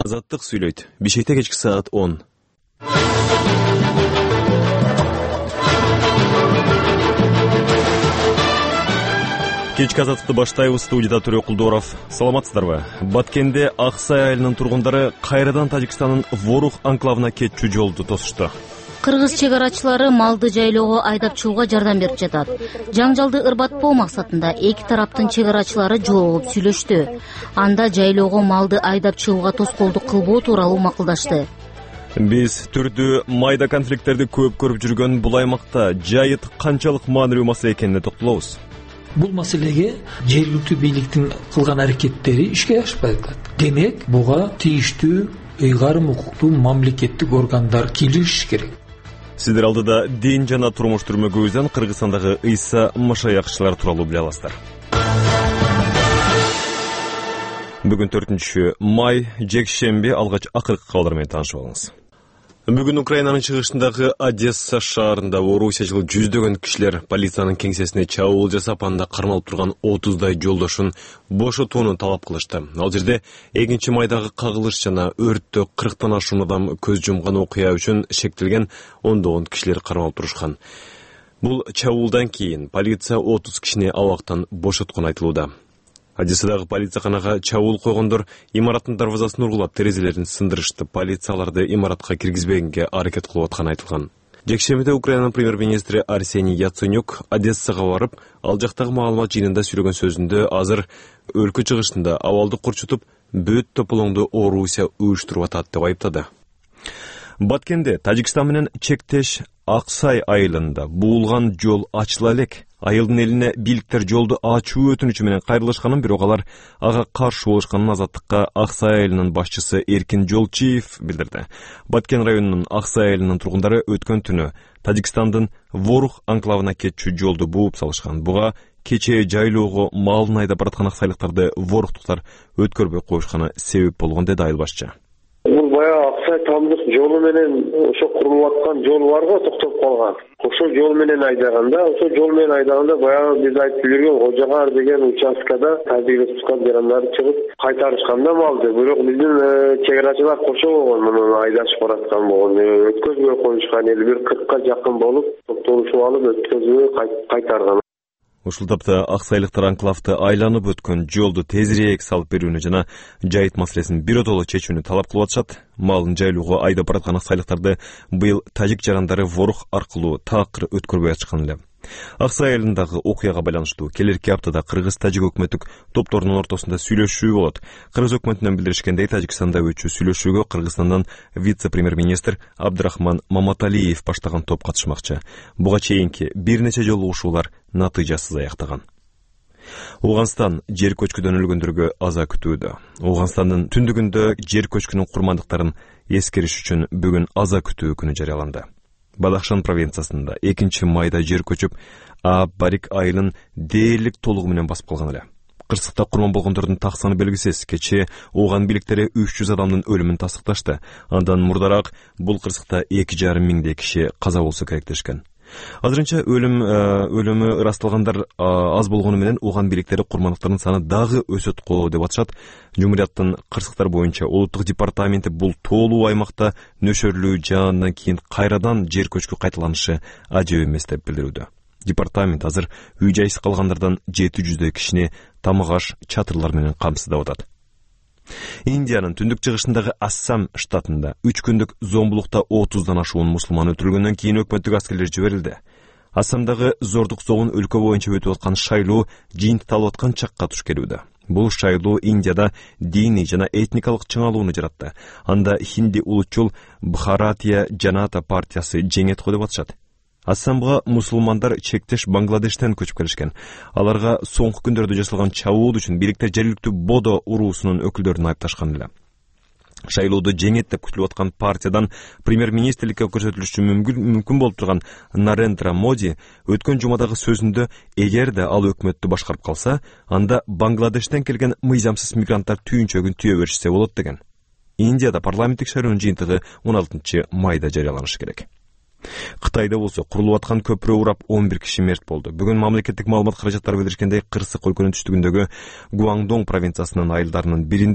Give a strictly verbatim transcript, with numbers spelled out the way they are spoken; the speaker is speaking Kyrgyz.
Азаттык сүйлөйт. Бишкекте кечки саат он. Кечки азаттыкты баштайбыз. Студияда Төрө Кулдоров. Саламатсыздарбы? Баткенде Аксай айылынын тургундары кайрадан Тажикстандын Ворух анклавына кетчү жолду тосушту. Кыргыз чек арачылары малды жайлоого айдап чыгууга жардам берип жатат. Жаңжалды ырбатпоо максатында эки тараптын чек арачылары жолугуп сүйлөштү. Анда жайлоого малды айдап чыгууга тоскоолдук кылбоо тууралуу макулдашты. Биз түрдүү майда конфликттерди көп көрүп жүргөн бул аймакта жайыт канчалык маанилүү маселе экенине токтолобуз. Бул маселеге жергиликтүү бийликтин кылган аракеттери ишке ашпай калат. Демек, буга тийиштүү ыйгарым укуктуу мамлекеттик органдар киришиш керек. Сиздер алдыда дин жана турмуш түрмөгүбүздөн Кыргызстандагы Ыйса машаякчылар тууралуу биле аласыздар. Бүгүн төртүнчү май, жекшемби, алгач акыркы кабарлар менен таанышып алыңыз. Бүгүн Украинанын чыгышындагы Одесса шаарында Орусиячыл жүздөгөн кишилер полициянын кеңсесине чабуул жасап, анда кармалып турган отуздай жолдошун бошотууну талап кылышты. Ал жерде экинчи майдагы кагылыш жана өрттө кырктан ашуун адам көз жумган окуя үчүн шектелген ондогон кишилер кармалып турушкан. Бул чабуулдан кийин полиция отуз кишини абактан бошоткону айтылууда. Одессадагы полицияканага чабуул койгондор имараттын дарбазасын ургулап, терезелерин сындырышты. Полицияларды имаратка киргизбегенге аракет кылып атканы айтылган. Жекшембиде Украинанын премьер-министри Арсений Яценюк Одессага барып, ал жактагы маалымат жыйынында сүйлөгөн сөзүндө азыр өлкө чыгышында абалды курчутуп, бүт тополоңду Орусия уюштуруп атат деп айыптады. Баткенде Тажикстан менен чектеш Аксай айылында буулган жол ачыла элек. Айылдын элине бийликтер жолду ачуу өтүнүчү менен кайрылышканын, бирок алар ага каршы болушканын Азаттыкка Аксай айылынын башчысы Эркин Жолчиев билдирди. Баткен районунун Аксай айылынын тургундары өткөн түнү Тажикстандын Ворух анклавына кетчү жолду бууп салышкан. Буга кечээ жайлоого малын айдап бараткан аксайлыктарды ворухтуктар өткөрбөй коюшканы себеп болгон, деди айыл башчы. Бул баягы Аксай тамдык жолу менен ошо курулуп аткан жол бар го, токтоп калган. Ошол жол менен айдаганда, ошол жол менен айдаганда баягы биз айтып жүргөн Кожогар деген участкада Тажик Республикасынын жарандары чыгып кайтарышканда малды. Бирок биздин чек арачылар кошо болгон, муну айдашып бараткан болгон. Өткөзбөй коюшкан эле, бир кыркка жакын болуп, токтолушуп алып өткөзбөй кайтарган. Ушул тапта аксайлыктар анклавды айланып өткөн жолду тезирээк салып берүүнү жана жайыт маселесин биротоло чечүүнү талап кылып атышат. Малын жайлоого айдап бараткан аксайлыктарды быйыл тажик жарандары Ворух аркылуу таакыр өткөрбөй атышкан эле. Аксай айылындагы окуяга байланыштуу келерки аптада кыргыз-тажик өкмөттүк топторунун ортосунда сүйлөшүү болот. Кыргыз өкмөтүнөн билдиришкендей, Тажикстанда өтчү сүйлөшүүгө Кыргызстандан вице-премьер-министр Абдрахман Маматалиев баштаган топ катышмакчы. Буга чейинки бир нече жолугушуулар натыйжасыз аяктаган. Ооганстан жер көчкүдөн өлгөндөргө аза күтүүдө. Ооганстандын түндүгүндө жер көчкүнүн курмандыктарын эскериш үчүн бүгүн аза күтүү күнү жарыяланды. Бадахшан провинциясында экинчи майда жер көчүп, А Барик айылын дээрлик толугу менен басып калган эле. Кырсыкта курман болгондордун так саны белгисиз. Кечээ ооган бийликтери үч жүз адамдын өлүмүн тастыкташты. Андан мурдараак бул кырсыкта эки жарым миңдей киши каза болсо керек дешкен. Азырынча өлүм өлүмү ырасталгандар аз болгону менен ооган бийликтери курмандыктардын саны дагы өсөт го деп атышат. Жумурияттын кырсыктар боюнча улуттук департаменти бул тоолуу аймакта нөшөрлүү жаандан кийин кайрадан жер көчкү кайталанышы ажеп эмес деп билдирүүдө. Департамент азыр үй жайсыз калгандардан жети жүздөй кишини тамак аш, чатырлар менен камсыздап атат. Индиянын түндүк чыгышындагы Ассам штатында үч күндүк зомбулукта отуздан ашуун мусулман өлтүрүлгөндөн кийин өкмөттүк аскерлер жиберилди. Ассамдагы зордук зогун өлкө боюнча өтүп аткан шайлоо жыйынтыкталып аткан чакка туш келүүдө. Бул шайлоо Индияда диний жана этникалык чыңалууну жаратты. Анда хинди улутчул Бхаратия Жаната партиясы жеңет го деп атышат. Ассамга мусулмандар чектеш Бангладештен көчүп келишкен. Аларга соңку күндөрдө жасалган чабуул үчүн бийликтер жергиликтүү Бодо уруусунун өкүлдөрүн айыпташкан эле. Шайлоодо жеңет деп күтүлүп аткан партиядан премьер-министрликке көрсөтүлүшү мүмкүн болуп турган Нарендра Моди өткөн жумадагы сөзүндө эгерде ал өкмөттү башкарып калса, анда Бангладештен келген мыйзамсыз мигранттар түйүнчөгүн түйө беришсе болот деген. Индияда парламенттик шайлоонун жыйынтыгы он алтынчы майда жарыяланышы керек. Кытайда болсо курулуп аткан көпүрө урап он бир киши мерт болду. Бүгүн мамлекеттик маалымат каражаттары билдиришкендей, кырсык өлкөнүн түштүгүндөгү Гуандong провинциясынын айылдарынын биринде